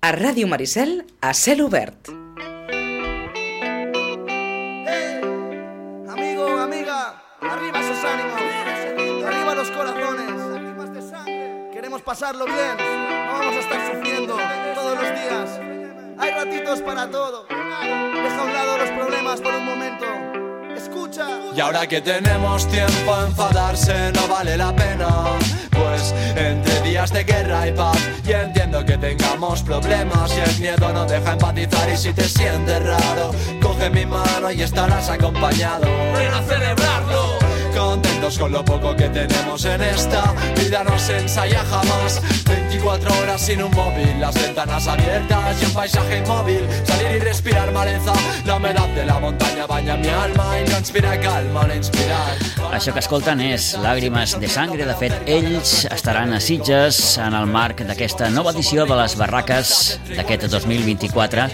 A Ràdio Maricel, a cel obert. Amigo, amiga, arriba esos ánimos, arriba los corazones, lágrimas de sangre. Queremos pasarlo bien, no vamos a estar sufriendo todos los días. Hay ratitos para todo. Deja a un lado los problemas por un momento. Escucha. Y ahora que tenemos tiempo a enfadarse no vale la pena, pues entre días de guerra y paz, y entiendo que tengamos problemas y el miedo no deja empatizar. Y si te sientes raro, coge mi mano y estarás acompañado. Ven a celebrarlo, contentos con lo poco que tenemos en esta vida. No se ensaya jamás 24 horas sin un móvil, las ventanas abiertas y un paisaje inmóvil. Salir y respirar maleza, la humedad de la montaña baña mi alma i no inspira calma, no inspira. Això que escolten és Làgrimes de Sangre. De fet, ells estaran a Sitges en el marc d'aquesta nova edició de les Barraques d'aquest 2024.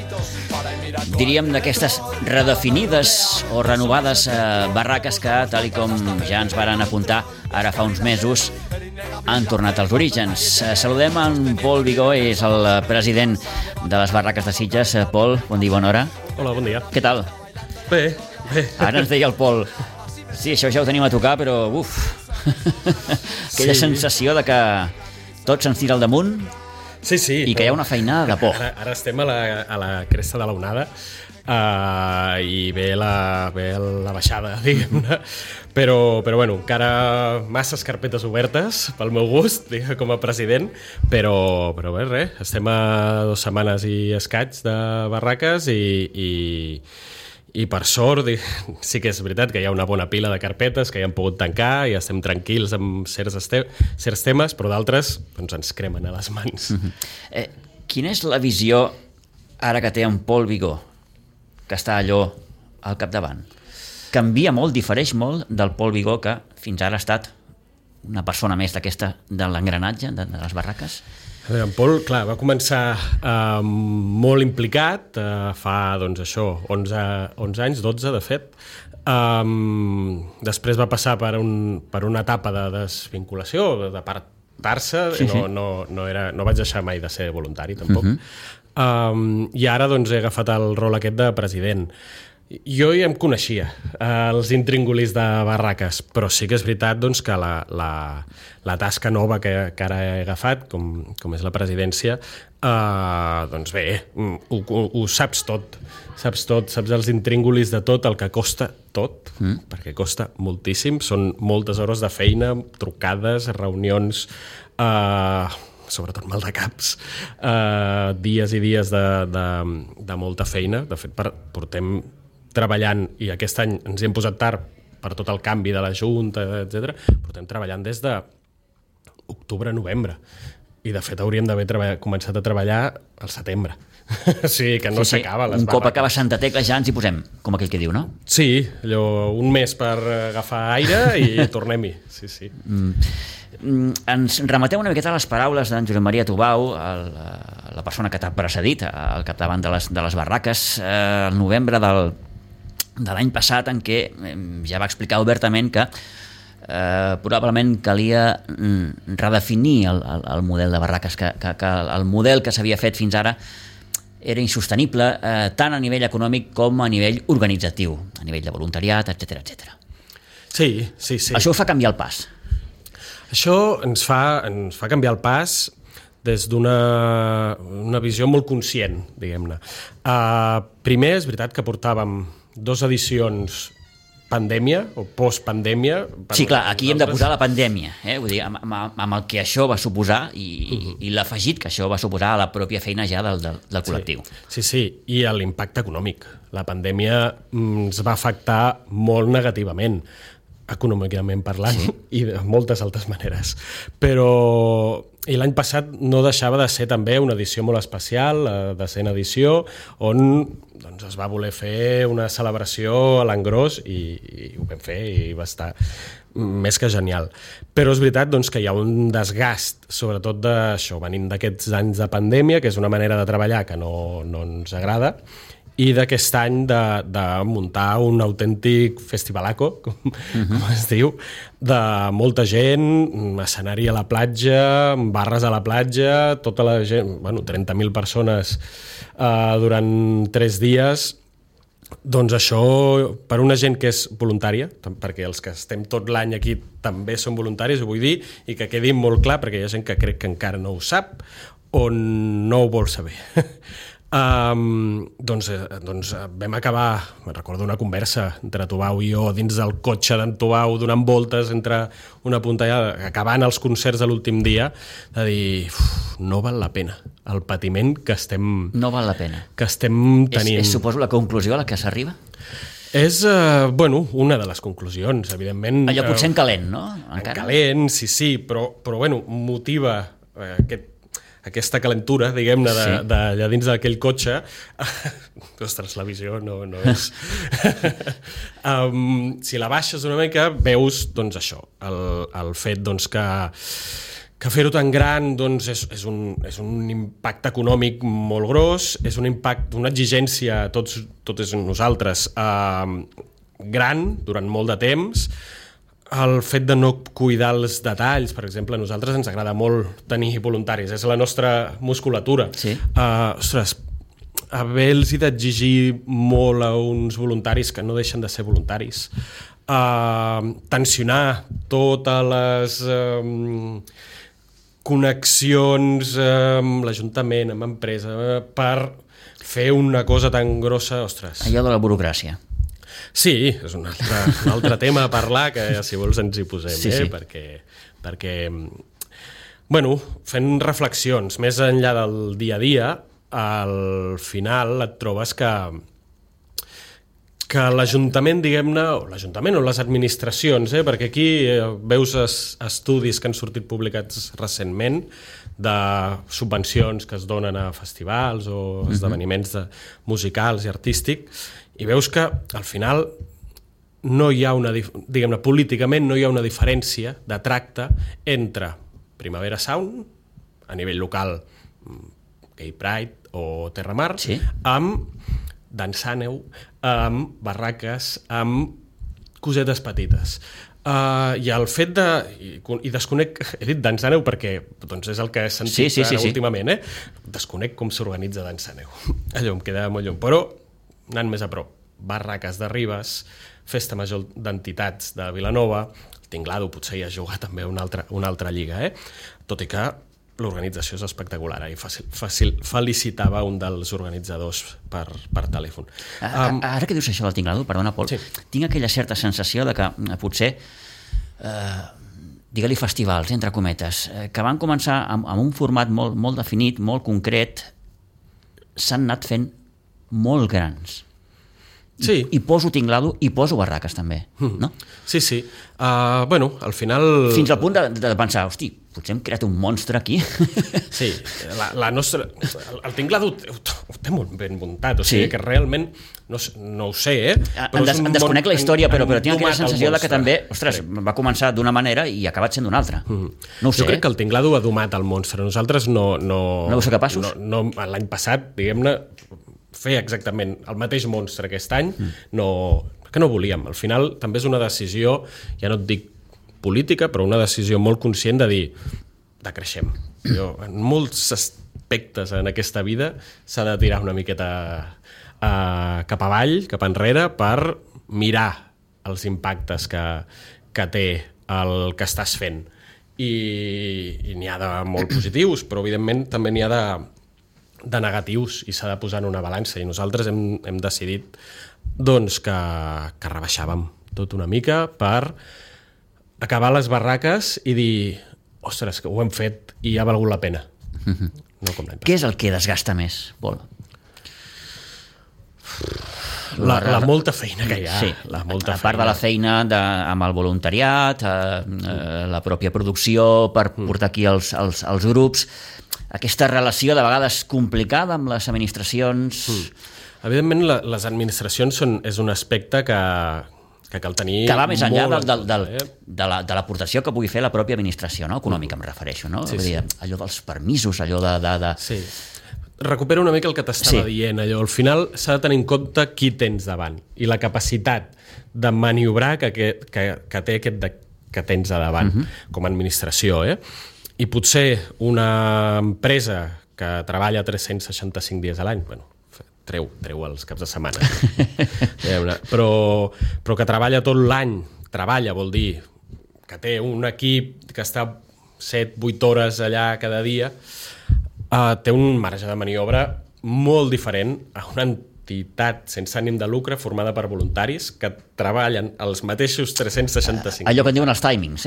Diríem d'aquestes redefinides o renovades barraques que, tal com ja ens varen apuntar ara fa uns mesos, han tornat als orígens. Saludem en Pol Vigó, és el president de les Barraques de Sitges. Pol, bon dia, bona hora. Hola, bon dia. Què tal? Bé. Ara ens deia el Pol, sí, això ja ho tenim a tocar, però aquella sensació de que tot se'ns tira al damunt. Sí, i que hi ha una feinada de por. Ara estem a la cresta de l'onada i ve la baixada, diguem-ne. Però bueno, encara masses carpetes obertes pel meu gust, com a president, però bé, res, estem a 2 setmanes i escaig de barraques i per sort sí que és veritat que hi ha una bona pila de carpetes que ja hem pogut tancar i estem tranquils amb certs temes, però d'altres doncs, ens cremen a les mans. Quina és la visió ara que té en Pol Vigó, que està allò al capdavant? Canvia molt, difereix molt del Pol Vigó que fins ara ha estat una persona més d'aquesta de l'engranatge de les barraques? En Pol, clar, va començar molt implicat fa, doncs això, 11 anys, 12 de fet. Després va passar per una etapa de desvinculació, d'apartar-se, sí. No vaig deixar mai de ser voluntari, tampoc. I ara doncs, he agafat el rol aquest de president. Jo ja em coneixia, els intríngulis de barraques, però sí que és veritat doncs, que la tasca nova que ara he agafat, com és la presidència, doncs bé, ho saps tot. Saps els intríngulis de tot, el que costa tot, perquè costa moltíssim, són moltes hores de feina, trucades, reunions, sobretot mal de caps, dies i dies de molta feina. De fet, portem treballant, i aquest any ens hi hem posat tard per tot el canvi de la Junta, etc. Portem treballant des d'octubre-novembre. I, de fet, hauríem d'haver començat a treballar al setembre. O sigui, que no s'acaba les barraques. Un cop acaba Santa Tecla ja ens hi posem, com aquell que diu, no? Sí, allò, un mes per agafar aire i tornem-hi. Sí. Ens remeteu una miqueta a les paraules d'en Josep Maria Tubau, la persona que t'ha precedit al capdavant de les barraques, el novembre de l'any passat, en què ja va explicar obertament que probablement calia redefinir el model de barraques, que el model que s'havia fet fins ara era insostenible tant a nivell econòmic com a nivell organitzatiu, a nivell de voluntariat, etc. Sí. Això ho fa canviar el pas. Això ens fa canviar el pas des d'una visió molt conscient, diguem-ne. Primer, és veritat que portàvem 2 edicions pandèmia o postpandèmia. Sí, clar, aquí hem de posar la pandèmia, vull dir, amb el que això va suposar i l'afegit que això va suposar a la pròpia feina ja del col·lectiu. Sí, i l'impacte econòmic. La pandèmia ens va afectar molt negativament, econòmicament parlant, i de moltes altres maneres. I l'any passat no deixava de ser també una edició molt especial, la 100ª edició, on doncs, es va voler fer una celebració a l'engròs i ho vam fer i va estar més que genial. Però és veritat doncs, que hi ha un desgast, sobretot d'això, venint d'aquests anys de pandèmia, que és una manera de treballar que no ens agrada, i d'aquest any de muntar un autèntic festivalaco, com es diu, de molta gent, escenari a la platja, barres a la platja, tota la gent, 30.000 persones durant 3 dies. Doncs això, per una gent que és voluntària, perquè els que estem tot l'any aquí també són voluntaris, ho vull dir, i que quedi molt clar, perquè hi ha gent que crec que encara no ho sap o no ho vol saber. Doncs vam acabar, me'n recordo una conversa entre Tubau i jo dins del cotxe d'en Tubau, donant voltes entre una punta i l'altra, acabant els concerts de l'últim dia, de dir, no val la pena el patiment que estem... No val la pena. Que estem tenint. És suposo la conclusió a la que s'arriba? És, una de les conclusions, evidentment. Allò potser en calent, no? En calent, sí, però motiva aquesta calentura, diguem-ne, d'allà dins d'aquell cotxe. Ostres, la visió no és... Si la baixes una mica, veus, doncs, això, el fet doncs, que fer-ho tan gran doncs, és un impacte econòmic molt gros, és un impacte, una exigència a tots nosaltres gran durant molt de temps. El fet de no cuidar els detalls, per exemple, a nosaltres ens agrada molt tenir voluntaris, és la nostra musculatura. Sí. Ostres, haver-los d'exigir molt a uns voluntaris que no deixen de ser voluntaris, tensionar totes les connexions amb l'Ajuntament, amb empresa, per fer una cosa tan grossa, ostres. Allò de la burocràcia. Sí, és un altre tema a parlar, que si vols ens hi posem, sí. perquè fent reflexions, més enllà del dia a dia, al final et trobes que l'Ajuntament, diguem-ne, o l'Ajuntament o les administracions, perquè aquí veus estudis que han sortit publicats recentment de subvencions que es donen a festivals o esdeveniments musicals i artístics, i veus que al final no hi ha diguem-ne, políticament no hi ha una diferència de tracte entre Primavera Sound, a nivell local, Gay Pride o Terramar, sí, amb Dansàneu, amb barraques, amb cosetes petites. I el fet de... I desconec... He dit Dansàneu perquè doncs és el que he sentit últimament. Desconec com s'organitza Dansàneu. Allò em queda molt lluny. Però, anant més a prop, barraques de Ribes, Festa Major d'Entitats de Vilanova, el Tinglado potser hi ha jugat també una altra lliga, tot i que l'organització és espectacular, i felicitava un dels organitzadors per telèfon. Ara que dius això del Tinglado, perdona, Pol, sí, tinc aquella certa sensació de que potser, digue-li festivals, entre cometes, que van començar amb un format molt definit, molt concret, s'han anat fent molt grans. Sí. I poso Tinglado i poso barraques també, no? Sí. Al final... Fins al punt de pensar, hosti, potser hem creat un monstre aquí. Sí, la nostra... El Tinglado ho té molt ben muntat, o sigui que realment, no ho sé, En desconec la història, però tinc aquella sensació de que també, ostres, va començar d'una manera i ha acabat sent d'una altra. No ho sé. Jo crec que el Tinglado ha domat el monstre. Nosaltres no heu ser capaços? L'any passat, diguem-ne, fer exactament el mateix monstre aquest any, que no volíem. Al final també és una decisió, ja no et dic política, però una decisió molt conscient de dir, decreixem. En molts aspectes en aquesta vida s'ha de tirar una miqueta cap avall, cap enrere, per mirar els impactes que té el que estàs fent. I n'hi ha de molt positius, però evidentment també n'hi ha de negatius i s'ha de posar en una balança, i nosaltres hem decidit doncs que rebaixàvem tot una mica per acabar les barraques i dir, ostres, que ho hem fet i ha valgut la pena. No com l'any passat. Què és el que desgasta més, Pol? La molta feina que hi ha. Sí, a part de la feina amb el voluntariat, la pròpia producció per portar aquí els grups, aquesta relació de vegades complicada amb les administracions... Evidentment, les administracions és un aspecte que cal tenir... Que va més enllà de l'aportació que pugui fer la pròpia administració, no? Econòmica, em refereixo, no? Sí. Allò dels permisos, allò de... Sí. recupero una mica el que t'estava dient, allò. Al final s'ha de tenir en compte qui tens davant i la capacitat de maniobrar que té aquest que tens a davant com a administració, I potser una empresa que treballa 365 dies a l'any, bueno, treu els caps de setmana, però que treballa tot l'any, vol dir que té un equip que està 7-8 hores allà cada dia, té un marge de maniobra molt diferent a una entitat sense ànim de lucre formada per voluntaris que treballen els mateixos 365. Allò que en diuen els timings,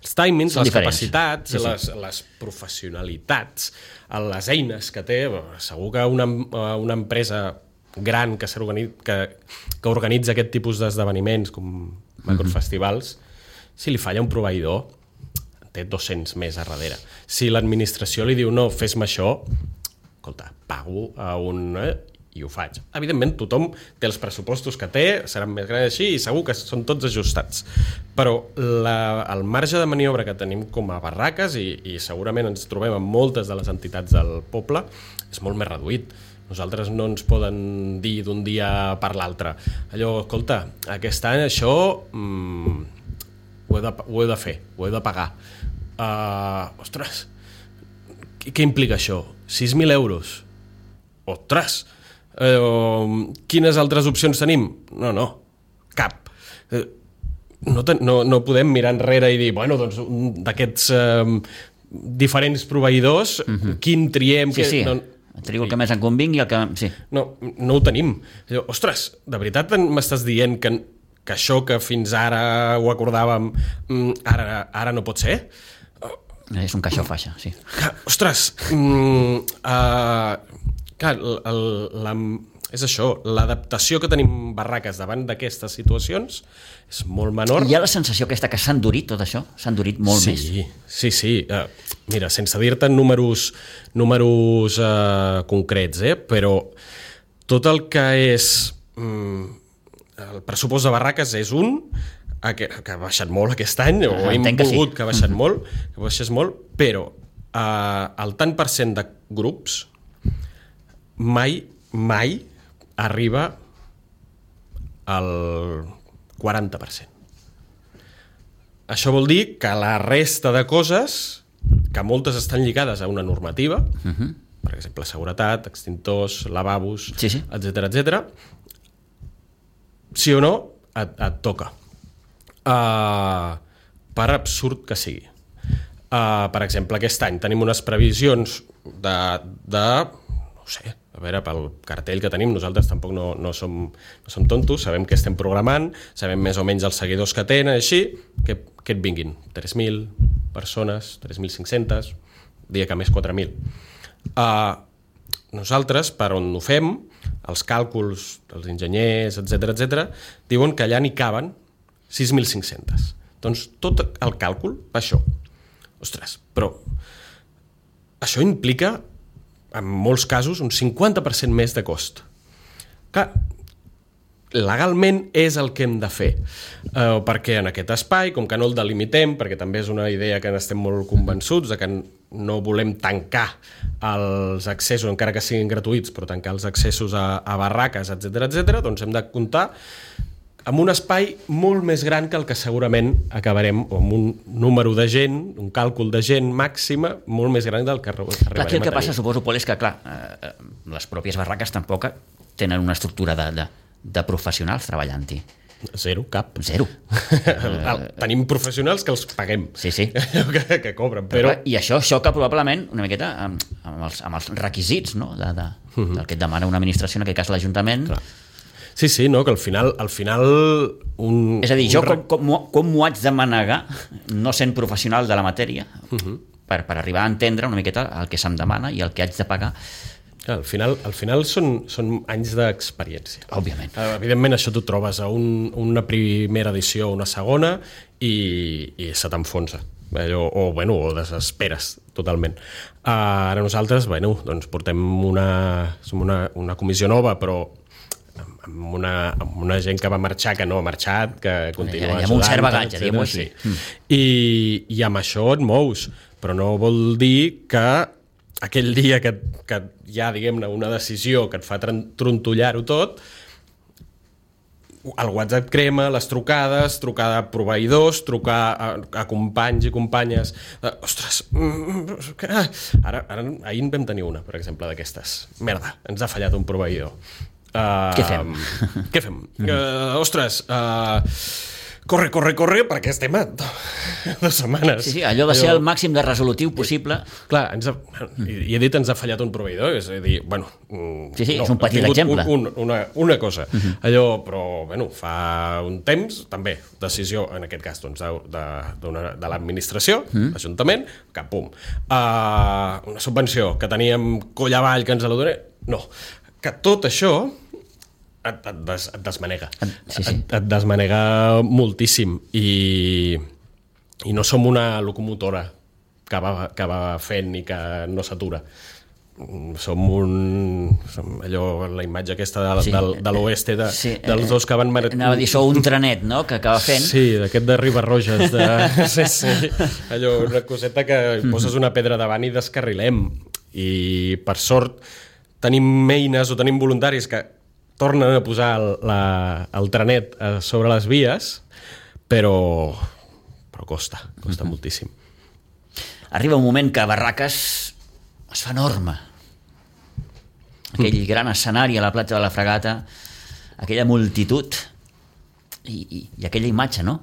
Els timings, les capacitats, les professionalitats, les eines que té. Segur que una empresa gran que organitza aquest tipus d'esdeveniments com macrofestivals, si li falla un proveïdor, té 200 més a darrere. Si l'administració li diu no, fes-me això, escolta, pago a un... i ho faig. Evidentment, tothom té els pressupostos que té, seran més grans així i segur que són tots ajustats. Però el marge de maniobra que tenim com a barraques, i segurament ens trobem amb moltes de les entitats del poble, és molt més reduït. Nosaltres no ens poden dir d'un dia per l'altre. Allò, escolta, aquest any això ho he de fer, ho he de pagar. Ostres, què implica això? 6.000 euros. Ostres! Quines altres opcions tenim? No, cap. No podem mirar enrere i dir, bueno, doncs d'aquests diferents proveïdors, quin triem? Trio el que més en convingui. No ho tenim. Ostres, de veritat m'estàs dient que això que fins ara ho acordàvem ara no pot ser? És un caixó faixa, sí. Ostres, clar, és això, l'adaptació que tenim barraques davant d'aquestes situacions és molt menor. Hi ha la sensació aquesta que s'ha endurit tot això? S'ha endurit molt més? Sí. Mira, sense dir-te números concrets, però tot el que és el pressupost de barraques és que ha baixat molt aquest any, o hem volgut que ha baixat molt, que baixés molt, però el tant per cent de grups mai arriba al 40%. Això vol dir que la resta de coses, que moltes estan lligades a una normativa, per exemple, seguretat, extintors, lavabos, etcètera, sí o no, et toca. Per absurd que sigui. Per exemple, aquest any tenim unes previsions de no sé, a veure, pel cartell que tenim, nosaltres tampoc no som tontos, sabem què estem programant, sabem més o menys els seguidors que tenen, així, que et vinguin 3.000 persones, 3.500, dia que més 4.000. Nosaltres, per on ho fem, els càlculs dels enginyers, etcètera, diuen que allà n'hi caben 6.500. Doncs tot el càlcul va això. Ostres, però això implica, en molts casos, un 50% més de cost. Clar, legalment és el que hem de fer, perquè en aquest espai, com que no el delimitem, perquè també és una idea que n'estem molt convençuts, de que no volem tancar els accessos, encara que siguin gratuïts, però tancar els accessos a barraques, etcètera, doncs hem de comptar amb un espai molt més gran que el que segurament acabarem, amb un número de gent, un càlcul de gent màxima molt més gran del que arribarem a tenir. Aquí el que passa, suposo, Pol, és que, clar, les pròpies barraques tampoc tenen una estructura de professionals treballant-hi. Zero, cap. Zero. Tenim professionals que els paguem. Sí. que cobren, però... I això xoca probablement una miqueta amb els requisits, no? del que et demana una administració, en aquest cas l'Ajuntament. Clar. Sí, no, que al final és a dir, jo com m'ho haig de manegar, no sent professional de la matèria, per arribar a entendre una miqueta el que se'm demana i el que haig de pagar. Al final són anys d'experiència. Òbviament. Evidentment, això t'ho trobes a una primera edició o una segona i se t'enfonsa. O desesperes totalment. Ara nosaltres, doncs portem una comissió nova, però amb una gent que va marxar, que no ha marxat, que continua ajudant. Amb un cert bagatge, diguem-ho així. I amb això et mous, però no vol dir que aquell dia que hi ha, diguem-ne, una decisió que et fa trontollar-ho tot, el WhatsApp crema, les trucades, trucar a proveïdors, trucar a companys i companyes. Ostres, ahir en vam tenir una, per exemple, d'aquestes. Merda, ens ha fallat un proveïdor. Què fem? Ostres, corre, perquè estem a 2 setmanes. Sí, allò de ser el màxim de resolutiu possible. Clar, i he dit ens ha fallat un proveïdor, és a dir, bueno... Sí, és un petit exemple. Una cosa. Allò, però, bueno, fa un temps, també, decisió, en aquest cas, doncs, de l'administració, l'Ajuntament, que pum. Una subvenció que teníem coll avall, que ens la donem... No, que tot això et desmanega. Et desmanega moltíssim i no som una locomotora que va fent i que no s'atura. Som allò, la imatge aquesta de l'oeste dels dos que van... Anava a dir, sou un trenet, no?, que acaba fent. Sí, d'aquest de Ribarroges. Sí. Allò, una coseta que poses una pedra davant i descarrilem. I, per sort, tenim eines o tenim voluntaris que tornen a posar el trenet sobre les vies, però costa moltíssim. Arriba un moment que Barraques es fa enorme. Aquell gran escenari a la platja de la Fragata, aquella multitud i aquella imatge, no?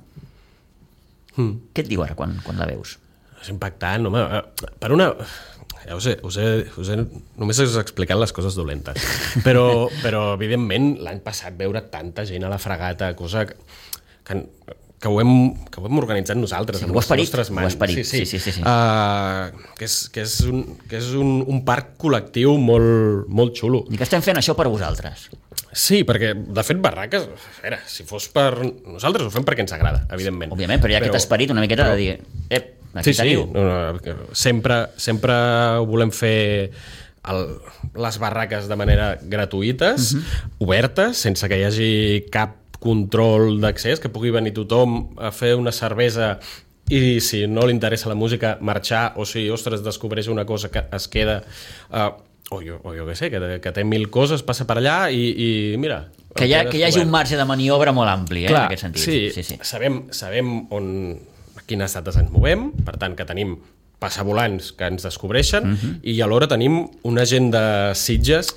Què et diu ara quan la veus? És impactant, home. Per una... Ja ho sé, només us he explicat les coses dolentes. Però evidentment, l'any passat veure tanta gent a la Fragata, cosa que ho hem organitzat nosaltres, amb les nostres mans. Sí. Que és un parc col·lectiu molt xulo. I que estem fent això per vosaltres. Sí, perquè, de fet, Barraques, si fos per nosaltres, ho fem perquè ens agrada, evidentment. Òbviament, però hi ha aquest esperit una miqueta de dir... Sí. Sempre volem fer les barraques de manera gratuïtes, obertes, sense que hi hagi cap control d'accés, que pugui venir tothom a fer una cervesa i, si no li interessa la música, marxar, o si, ostres, descobreix una cosa que es queda... o jo què sé, que té 1000 coses, passa per allà i mira... Que hi hagi un marge de maniobra molt ampli, clar, en aquest sentit. Sí. Sabem a quines dates ens movem, per tant que tenim passavolants que ens descobreixen i alhora tenim una gent de Sitges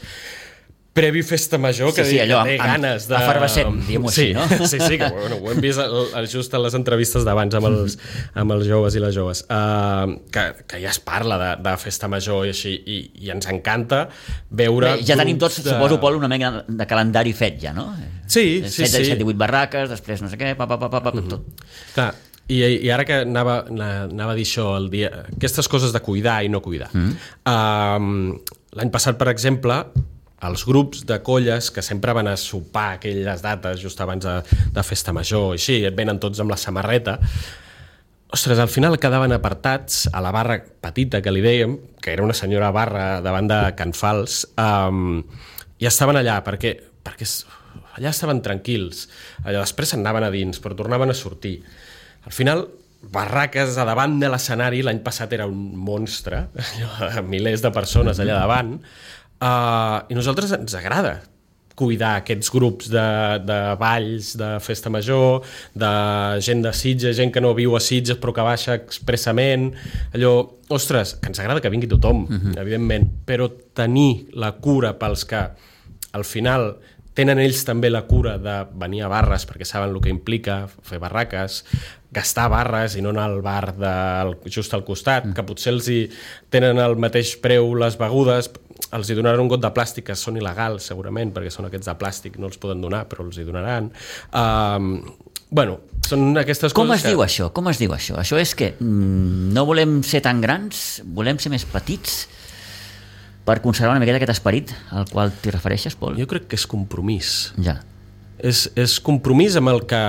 previ festa major que té ganes de... Efervescent, diguem-ho així, no? Sí, que ho hem vist just en les entrevistes d'abans amb els joves i les joves, que ja es parla de festa major i així, i ens encanta veure... Ja tenim tots, suposo, Pol, una mena de calendari fet ja, no? Sí. 7, 18 barraques, després no sé què, tot. Clar, i ara que anava a dir això, aquestes coses de cuidar i no cuidar. L'any passat, per exemple, els grups de colles que sempre van a sopar aquelles dates just abans de festa major, així, et venen tots amb la samarreta, ostres, al final quedaven apartats a la barra petita que li dèiem, que era una senyora barra davant de Can Fals, i estaven allà perquè allà estaven tranquils, allà després anaven a dins, però tornaven a sortir. Al final, Barraques a davant de l'escenari, l'any passat era un monstre, milers de persones allà davant, i a nosaltres ens agrada cuidar aquests grups de balls, de festa major, de gent de Sitges, gent que no viu a Sitges però que baixa expressament, allò, ostres, que ens agrada que vingui tothom, evidentment, però tenir la cura pels que al final tenen ells també la cura de venir a barres perquè saben el que implica fer barraques, gastar barres i no anar al bar just al costat, que potser els hi tenen el mateix preu les begudes, els hi donaran un got de plàstic que són il·legals segurament, perquè són aquests de plàstic, no els poden donar però els hi donaran. Són aquestes coses. Com es diu això? Això és que no volem ser tan grans, volem ser més petits per conservar una miqueta aquest esperit al qual t'hi refereixes, Pol? Jo crec que és compromís. Ja. És compromís amb el que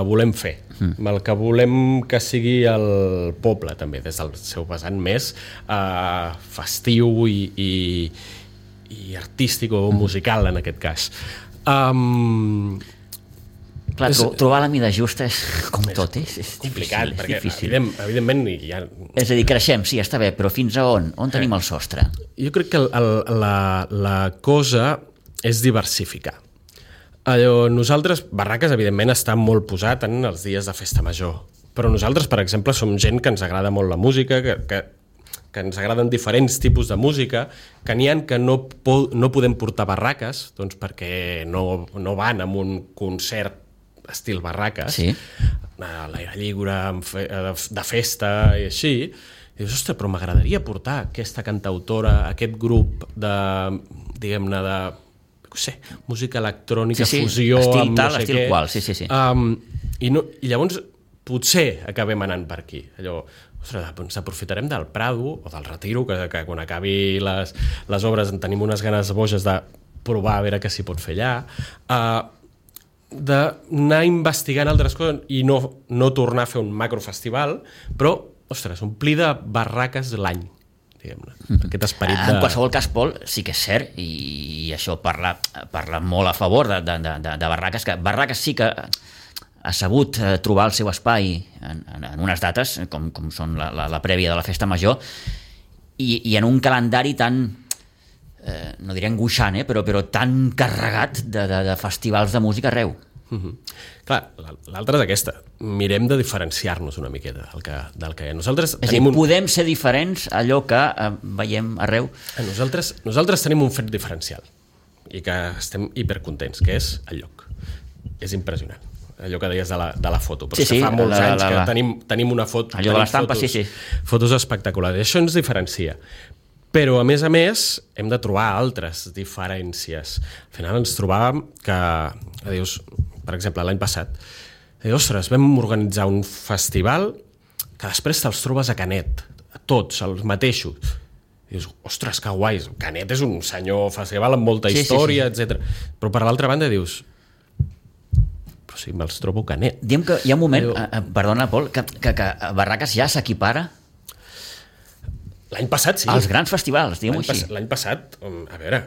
volem fer, amb el que volem que sigui el poble, també, des del seu vessant més festiu i artístic o musical, en aquest cas. Clar, trobar la mida justa és com tot, és complicat, difícil, perquè evidentment ja... És a dir, creixem, sí, està bé, però fins a on? On tenim el sostre? Jo crec que la cosa és diversificar. Nosaltres, Barraques, evidentment, està molt posat en els dies de festa major, però nosaltres, per exemple, som gent que ens agrada molt la música, que ens agraden diferents tipus de música, que n'hi ha que no podem portar barraques, doncs perquè no van amb un concert estil barraques, sí. A l'aire lliure, de festa i així. I dius, ostres, però m'agradaria portar aquesta cantautora, aquest grup de, diguem-ne, de, no sé, música electrònica, fusió, estil amb tal, no sé estil què. qual, sí. I llavors potser acabem anant per aquí. Allò, ostres, ens aprofitarem del Prado o del Retiro, que quan acabi les obres en tenim unes ganes boges de provar a veure què s'hi pot fer allà, d'anar investigant altres coses i no tornar a fer un macrofestival, però, ostres, omplir de barraques l'any, diguem-ne. Aquest esperit de... En qualsevol cas, Pol, sí que és cert, i això parla molt a favor de Barraques, que Barraques sí que ha sabut trobar el seu espai en unes dates, com són la prèvia de la Festa Major, i en un calendari tan, no diré angoixant, però tan carregat de festivals de música arreu. Clar, l'altra és aquesta. Mirem de diferenciar-nos una miqueta del que nosaltres és tenim. Podem ser diferents allò que veiem arreu? Nosaltres tenim un fet diferencial i que estem hipercontents, que és el lloc. És impressionant. Allò que deies de la foto, però que fa molts anys que tenim una foto, allò de l'estampa, sí. Fotos espectaculars, i això ens diferencia. Però, a més, hem de trobar altres diferències. Al final ens trobàvem que, dius, per exemple, l'any passat, ostres, vam organitzar un festival que després te'ls trobes a Canet, a tots, els mateixos. I dius, ostres, que guai, Canet és un senyor festival amb molta història, etc. Però, per l'altra banda, dius... però si me'ls trobo Canet. Diem que hi ha un moment, perdona, Pol, que Barraques ja s'equipara l'any passat, sí. als grans festivals, diguem-ho així. L'any passat, a veure,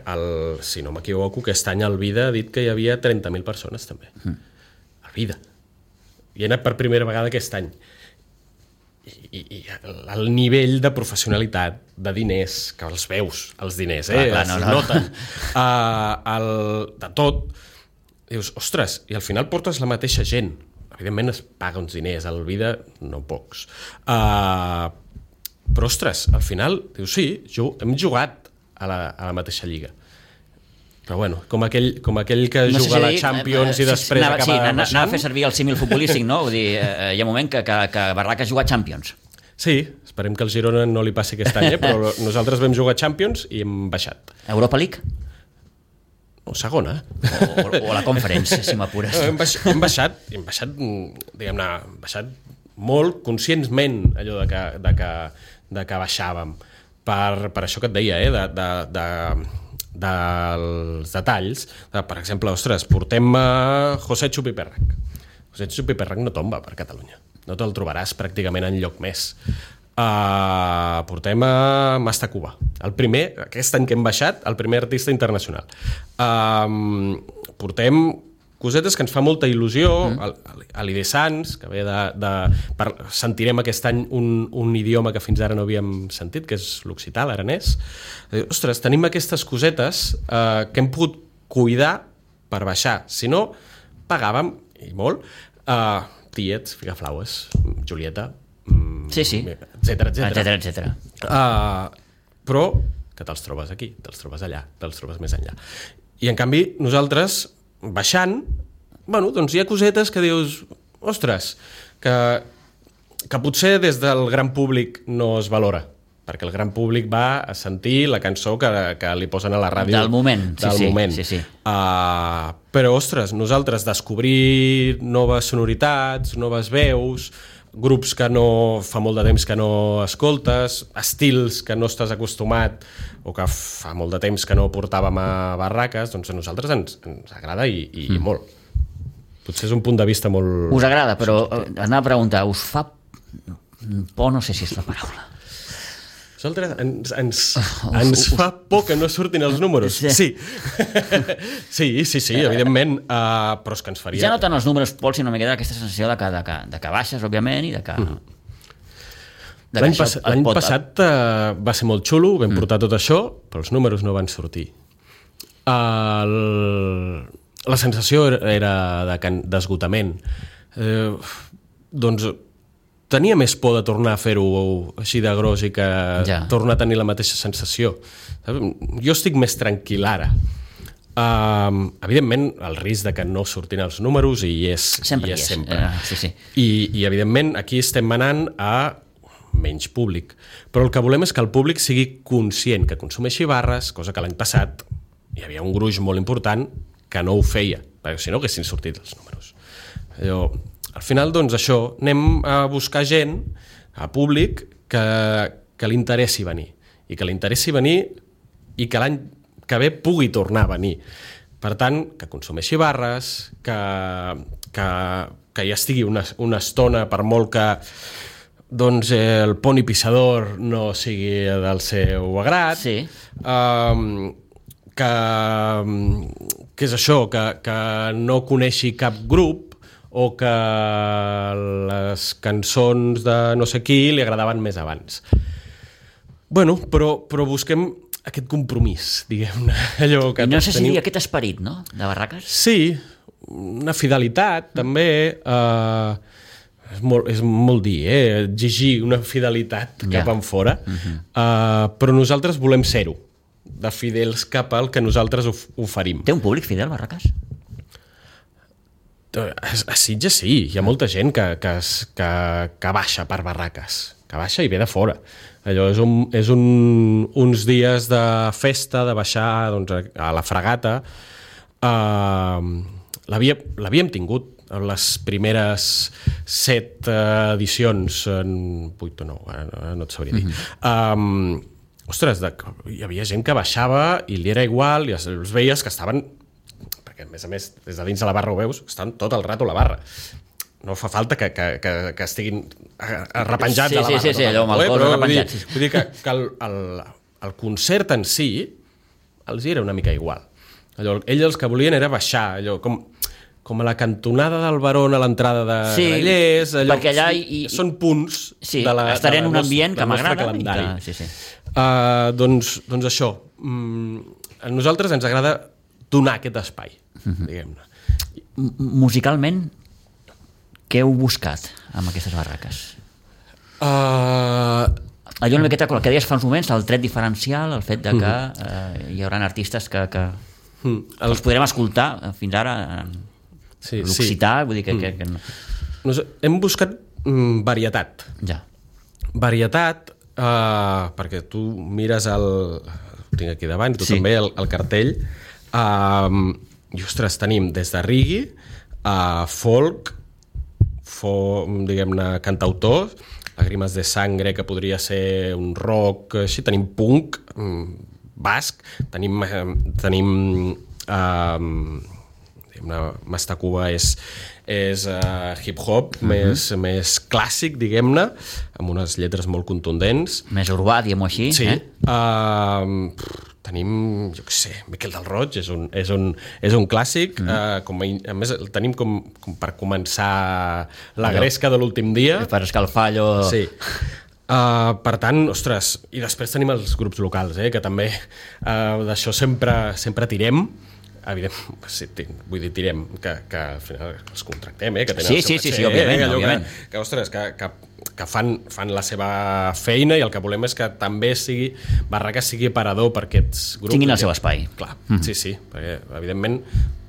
si no m'equivoco, aquest any el Vida ha dit que hi havia 30.000 persones, també. El Vida. I he anat per primera vegada aquest any. I el nivell de professionalitat, de diners, que els veus, els diners, es noten, de tot, dius, ostres, i al final portes la mateixa gent. Evidentment es paga uns diners, al Vida no pocs. Però, ostres, al final, dius, sí, hem jugat a la mateixa lliga. Però, bueno, com aquell que juga a la Champions i després acaba baixant. Anava a fer servir el símil futbolístic, no? Vull dir, hi ha un moment que Barraques juga a Champions. Sí, esperem que el Girona no li passi aquest any, però nosaltres vam jugar a Champions i hem baixat. Europa League? O segona. O la Conference, si m'apures. Hem baixat, diguem-ne, molt conscientment allò de que baixàvem. Per això que et deia, dels detalls. Per exemple, ostres, portem José Chupi Perrac. José Chupi Perrac no tomba per Catalunya. No te'l trobaràs pràcticament enlloc més. Portem a Masta Cuba. Aquest any que hem baixat, el primer artista internacional. Portem cosetes que ens fa molta il·lusió, a l'Ide Sans, que ve sentirem aquest any un idioma que fins ara no havíem sentit, que és l'occità, l'aranès. Ostres, tenim aquestes cosetes que hem pogut cuidar per baixar. Si no, pagàvem, i molt, tiets, Figaflaues, Julieta, etcètera. Però que te'ls trobes aquí, te'ls trobes allà, te'ls trobes més enllà. I en canvi, nosaltres, baixant, doncs hi ha cosetes que dius, ostres, que potser des del gran públic no es valora, perquè el gran públic va a sentir la cançó que li posen a la ràdio. Del moment. Sí. Però, ostres, nosaltres descobrir noves sonoritats, noves veus, grups que fa molt de temps que no escoltes, estils que no estàs acostumat o que fa molt de temps que no portàvem a Barraques, doncs a nosaltres ens agrada i molt. Potser és un punt de vista molt... Us agrada, però anava a preguntar, us fa por, no sé si és la paraula. Vosaltres ens fa por que no surtin els números. Sí. Sí, evidentment, però és que ens faria... Ja no tant els números, Pol, sinó una miqueta aquesta sensació de que baixes, òbviament, i de que... L'any passat va ser molt xulo, vam portar tot això, però els números no van sortir. La sensació era d'esgotament. Doncs tenia més por de tornar a fer-ho així de gros i que tornar a tenir la mateixa sensació. Jo estic més tranquil ara. Evidentment, el risc de que no surtin els números hi és sempre. Sí. I evidentment, aquí estem anant a menys públic. Però el que volem és que el públic sigui conscient, que consumeixi barres, cosa que l'any passat hi havia un gruix molt important que no ho feia, perquè si no haguessin sortit els números. Al final, doncs, això, anem a buscar gent, a públic, que li interessi venir. I que li interessi venir i que l'any que ve pugui tornar a venir. Per tant, que consumeixi barres, que hi estigui una estona, per molt que doncs, el poni pissador no sigui del seu agrat, que és això, que no coneixi cap grup, o que les cançons de no sé qui li agradaven més abans. Bueno, però busquem aquest compromís, diguem-ne. I no sé si dir aquest esperit, no?, de Barraques? Sí, una fidelitat, també. És molt dir, exigir una fidelitat cap enfora, però nosaltres volem ser-ho, de fidels cap al que nosaltres oferim. Té un públic fidel, Barraques? A Sitges sí, hi ha molta gent que baixa per Barraques, que baixa i ve de fora. Allò és uns dies de festa, de baixar doncs, a la Fragata. L'havíem tingut en les primeres 7 edicions, en 8 o 9, no et sabria dir. Ostres, hi havia gent que baixava i li era igual, i els veies que estaven... perquè a més, des de dins de la barra ho veus, estan tot el rato a la barra. No fa falta que estiguin arrepenjats a la barra. Sí, allò amb el cos arrepenjat. Vull dir que el concert en si els era una mica igual. Ells els que volien era baixar, allò com a la cantonada del Barón a l'entrada de Grallers, perquè allà són punts de la estaré en un ambient que m'agrada. Doncs això, a nosaltres ens agrada donar aquest espai, diguem-ne. Musicalment, què heu buscat amb aquestes barraques? Allò una miqueta que deies fa uns moments, el tret diferencial, el fet de que hi haurà artistes que els podrem escoltar fins ara l'occità, vull dir que no. Hem buscat varietat. Varietat, perquè tu mires ho tinc aquí davant, tu també, el cartell, i ostres, tenim des de reggae a folk, diguem-ne, cantautors, Lágrimas de Sangre, que podria ser un rock, així, tenim punk, basc, tenim Mastacuba és hip-hop més clàssic, diguem-ne, amb unes lletres molt contundents. Més urbà, diguem-ho així. Sí. Tenim, jo què sé, Miquel del Roig és un clàssic. A més, el tenim com per començar la gresca de l'últim dia. Per escalfar allò... Sí. Per tant, ostres, i després tenim els grups locals, que també d'això sempre tirem. Evidentment, vull dir, tirem, que al final els contractem, que tenen el seu caché. Sí, òbviament. Que, ostres, que fan la seva feina, i el que volem és que també Barraques sigui aparador per aquests grups. Tinguin el seu espai. Clar, sí, perquè evidentment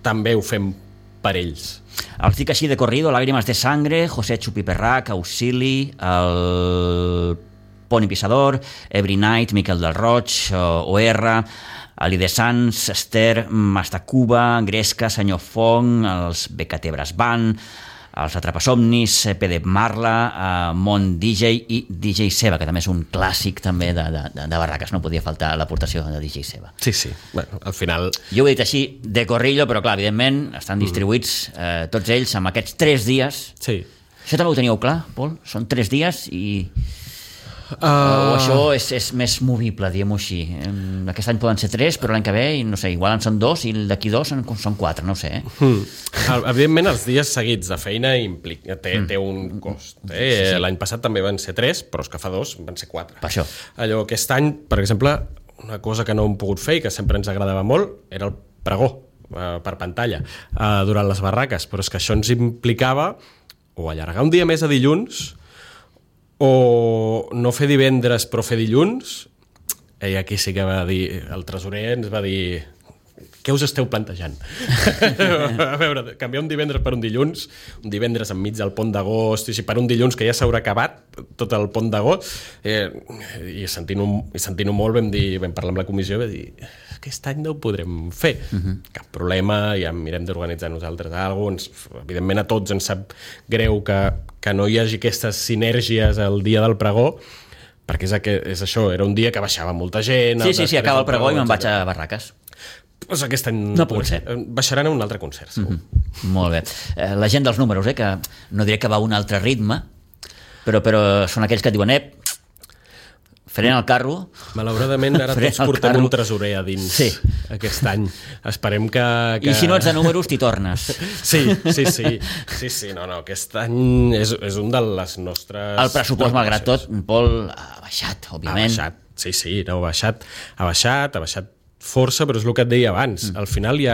també ho fem per ells. Els dic així de corrido: Lágrimas de Sangre, José Chupiperrac, Auxili, el Poni Pissador, Every Night, Miquel del Roig, OR, Ali de Sants, Esther, Mastacuba, Gresca, Senyor Fong, els BKT Brass Band, els Atrapasomnis, PD Marla, Mont DJ i DJ Seba, que també és un clàssic també de Barraques, no podia faltar l'aportació de DJ Seba. Sí, bueno, al final... Jo ho he dit així de corrillo, però clar, evidentment estan distribuïts tots ells amb aquests 3 dies. Sí. Això també ho teníeu clar, Pol? Són 3 dies i... O això és més movible, diguem-ho així. Aquest any poden ser 3, però l'any que ve, no sé, igual en són 2 i d'aquí 2 són 4, no ho sé. Evidentment, els dies seguits de feina té un cost. Sí. L'any passat també van ser 3, però és que fa 2 van ser 4. Per això. Allò, aquest any, per exemple, una cosa que no hem pogut fer i que sempre ens agradava molt era el pregó per pantalla durant les barraques, però és que això ens implicava o allargar un dia més a dilluns o no fer divendres però fer dilluns. I aquí sí que va dir, el tresorer ens va dir: què us esteu plantejant? A veure, canviar un divendres per un divendres enmig del pont d'agost, i si per un dilluns que ja s'haurà acabat tot el pont d'agost, i sentint-ho molt vam parlar amb la comissió i vam dir: aquest any no ho podrem fer. Cap problema, ja mirem d'organitzar nosaltres alguna cosa. Evidentment a tots ens sap greu que no hi hagi aquestes sinèrgies el dia del pregó, perquè és això, era un dia que baixava molta gent. Sí, acaba el pregó i me'n vaig a barraques. Doncs aquest any no pot ser. Baixaran a un altre concert, segur. Molt bé. La gent dels números, que no diré que va a un altre ritme, però són aquells que et diuen: frena el carro. Malauradament ara tots portem un tresorer a dins aquest any. Esperem que... I si no ets de números, t'hi tornes. Sí. No, aquest any és un de les nostres... El pressupost, malgrat tot, Pol, ha baixat, òbviament. Ha baixat. Ha baixat força, però és el que et deia abans. Al final hi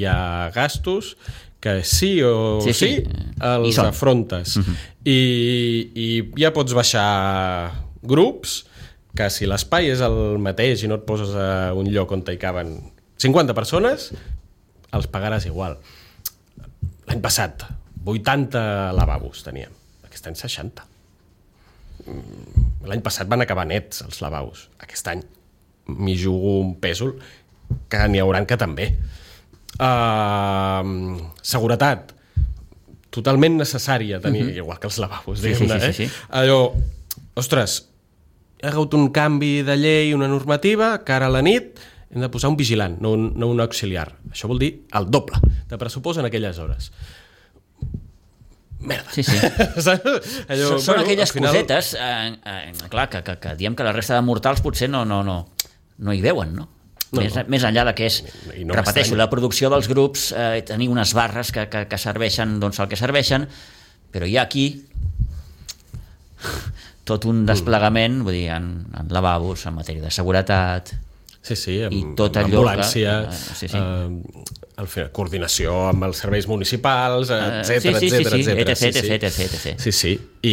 ha gastos que sí els afrontes. I ja pots baixar grups que si l'espai és el mateix i no et poses a un lloc on hi caben 50 persones, els pagaràs igual. L'any passat 80 lavabos teníem, aquest any 60. L'any passat van acabar nets els lavabos, aquest any m'hi jugo un pèsol que n'hi hauran que també. Seguretat totalment necessària tenir, igual que els lavabos, diguem-ne. Allò, ostres, hi ha hagut un canvi de llei, una normativa, que ara a la nit hem de posar un vigilant, no un auxiliar. Això vol dir el doble de pressupost en aquelles hores. Merda. Allò, són aquelles cosetes, clar, que diem que la resta de mortals potser no hi veuen, no? Més enllà de que és, repeteixo, la producció dels grups, tenir unes barres que serveixen el que serveixen, però hi ha aquí tot un desplegament, vull dir, en lavabos, en matèria de seguretat, i tot allò ambulància, coordinació amb els serveis municipals, etc. Sí. I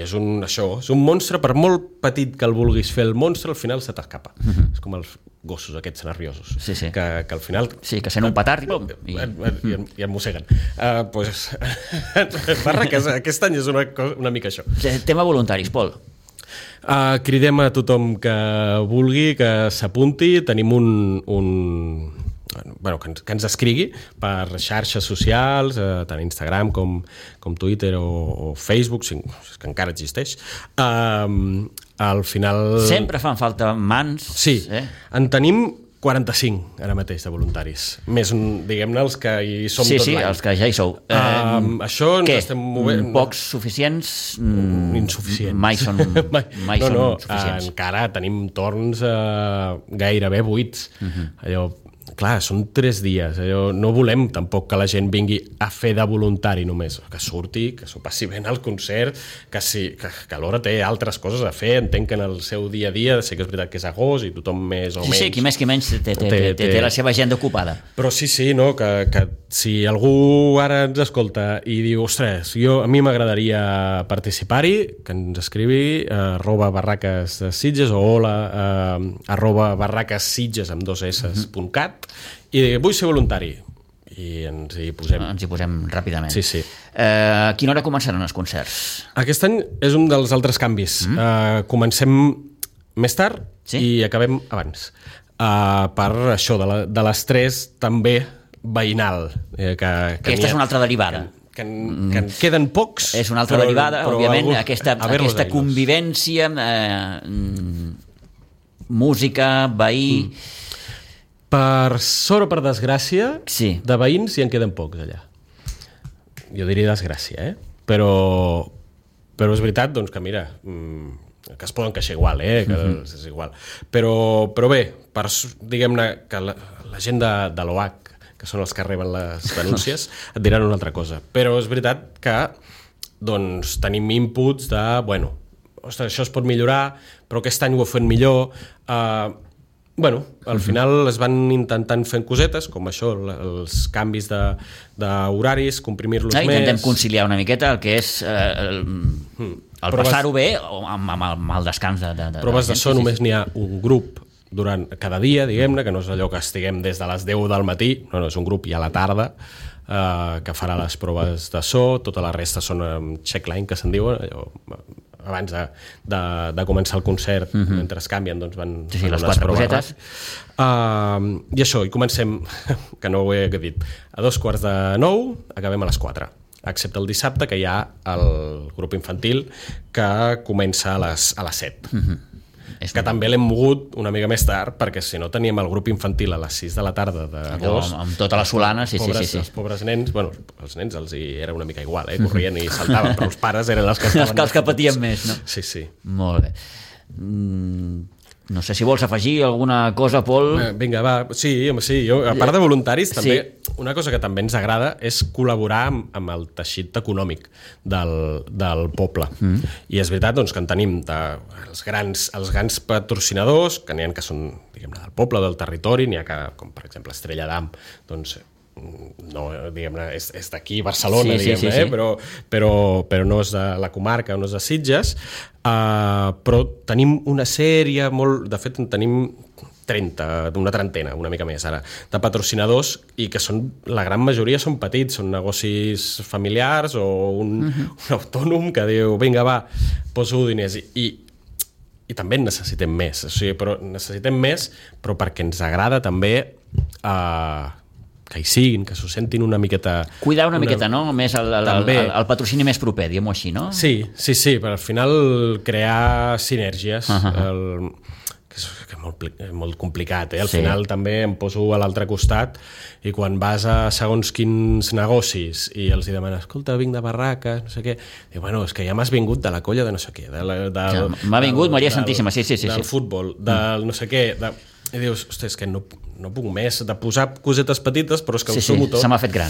és un monstre, per molt petit que el vulguis fer el monstre, al final se t'escapa. És com els gossos aquests nerviosos, que al final... Sí, que sent un petard i em mosseguen. Aquest any és una mica això. Tema voluntaris, Pol. Cridem a tothom que vulgui, que s'apunti. Tenim que ens escrigui per xarxes socials, tant Instagram com Twitter o Facebook, que encara existeix. Al final... Sempre fan falta mans. Sí, en tenim 45 ara mateix de voluntaris, més diguem-ne els que hi som tot l'any. Sí, els que ja hi sou. Això ens estem movent... Pocs suficients? Insuficients. Mai són suficients. Encara tenim torns gairebé buits. Allò, clar, són 3 dies. No volem tampoc que la gent vingui a fer de voluntari només, que surti, que s'ho passi bé al concert, que alhora té altres coses a fer. Entenc que en el seu dia a dia, sé que és veritat que és agost i tothom més o menys... Sí, qui més qui menys té la seva agenda ocupada. Però sí, que si algú ara ens escolta i diu, ostres, a mi m'agradaria participar-hi, que ens escrivi @barraques de Sitges o hola @barraquessitges amb 2 s.cat i vull ser voluntari, i ens hi posem ràpidament. Sí. A quina hora començaran els concerts? Aquest any és un dels altres canvis. Comencem més tard i acabem abans, per això de les 3 també veïnal, aquesta és una altra derivada, que en queden pocs. És una altra derivada, òbviament, aquesta convivència, música, veí... Per sort o per desgràcia, de veïns hi en queden pocs allà. Jo diria desgràcia, però Però és veritat, doncs, que mira, que es poden queixar igual, que és igual. Però bé, diguem-ne que la gent de l'OH, que són els que reben les denúncies, et diran una altra cosa. Però és veritat que doncs, tenim inputs de, bueno, ostres, això es pot millorar, però aquest any ho he fet millor. Al final es van intentant fent cosetes, com això, els canvis d'horaris, comprimir-los més... Intentem conciliar una miqueta el que és el passar-ho bé amb el descans de proves de so només n'hi ha un grup durant cada dia, diguem-ne, que no és allò que estiguem des de les 10 del matí, no, és un grup ja a la tarda que farà les proves de so, tota la resta són checkline, que se'n diuen, allò, abans de començar el concert, mentre es canvien, doncs van les 4 cosetes. I això, i comencem, que no ho he dit, a 2:45, acabem a les 4, excepte el dissabte, que hi ha el grup infantil que comença a les 7. Que també l'hem mogut una mica més tard, perquè si no teníem el grup infantil a les 6 de la tarda d'agost. Amb tota la solana, sí. Els pobres nens, bueno, els nens els hi era una mica igual, corrien i saltaven, però els pares eren els que estaven... Els que patien més, no? Sí. Molt bé. No sé si vols afegir alguna cosa, Pol. Vinga, va. Sí, jo, a part de voluntaris, també una cosa que també ens agrada és col·laborar amb el teixit econòmic del poble. I és veritat doncs, que en tenim els grans patrocinadors, que n'hi ha que són, diguem-ne, del poble, del territori, n'hi ha que, com per exemple Estrella d'Am, doncs no, diguem-ne, és d'aquí Barcelona, diguem-ne, però no és de la comarca, no és de Sitges, però tenim una sèrie de fet en tenim 30, una trentena, una mica més ara, de patrocinadors, i que la gran majoria són petits, són negocis familiars o un autònom que diu, vinga, va, poso diners, i també en necessitem més, però necessitem més, però perquè ens agrada també que hi siguin, que s'ho sentin una miqueta... Cuidar una miqueta, no? Més el patrocini més proper, diguem-ho així, no? Sí, però al final crear sinergies, que és molt complicat, al final també em poso a l'altre costat i quan vas a segons quins negocis i els hi demanes, escolta, vinc de Barraques, no sé què, diu, bueno, és que ja m'has vingut de la colla de no sé què, m'ha vingut Maria Santíssima, sí. Del futbol, del no sé què, i dius, ostres, és que no puc més de posar cosetes petites, però és que ho sumo tot. Se m'ha fet gran.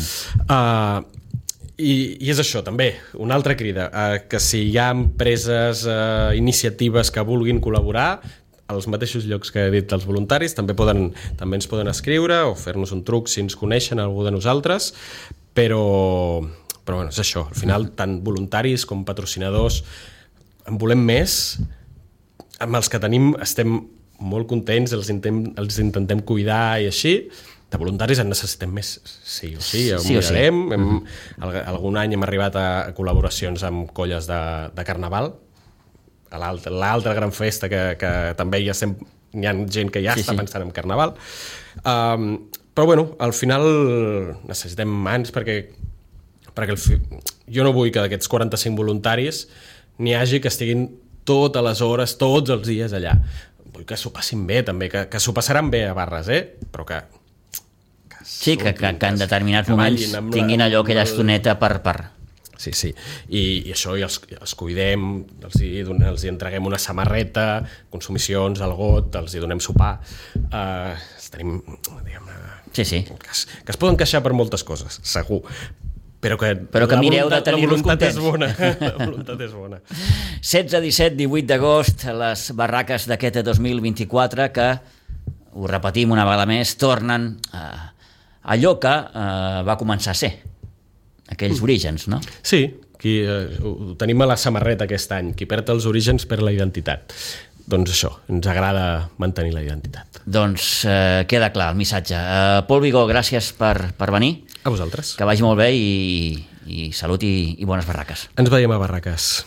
I és això, també, una altra crida, que si hi ha empreses, iniciatives que vulguin col·laborar, als mateixos llocs que he dit els voluntaris, també ens poden escriure o fer-nos un truc si ens coneixen algú de nosaltres, però bueno, és això, al final tant voluntaris com patrocinadors en volem més, amb els que tenim estem molt contents, els intentem cuidar i així. De voluntaris en necessitem més, sí o sí, ho mirarem. Algun any hem arribat a col·laboracions amb colles de carnaval, l'altra gran festa que també hi ha gent que ja està pensant en carnaval. Però bueno, al final necessitem mans perquè jo no vull que d'aquests 45 voluntaris n'hi hagi que estiguin totes les hores, tots els dies allà. Vull que s'ho passin bé també, que s'ho passaran bé a Barres, però que en determinats moments tinguin allò, aquella estoneta per... Sí. I això els cuidem, els entreguem una samarreta, consumicions, el got, els hi donem sopar. Tenim, diguem-ne, que es poden queixar per moltes coses, segur. Però que mireu de tenir-los contents. La voluntat és bona. 16, 17, 18 d'agost, les barraques d'aquest 2024 que, ho repetim una vegada més, tornen a allò que va començar a ser, aquells orígens, no? Sí, ho tenim a la samarreta aquest any, qui perd els orígens perd la identitat. Doncs això, ens agrada mantenir la identitat. Doncs queda clar el missatge. Pol Vigó, gràcies per venir. A vosaltres. Que vagi molt bé i salut i bones barraques. Ens veiem a Barraques.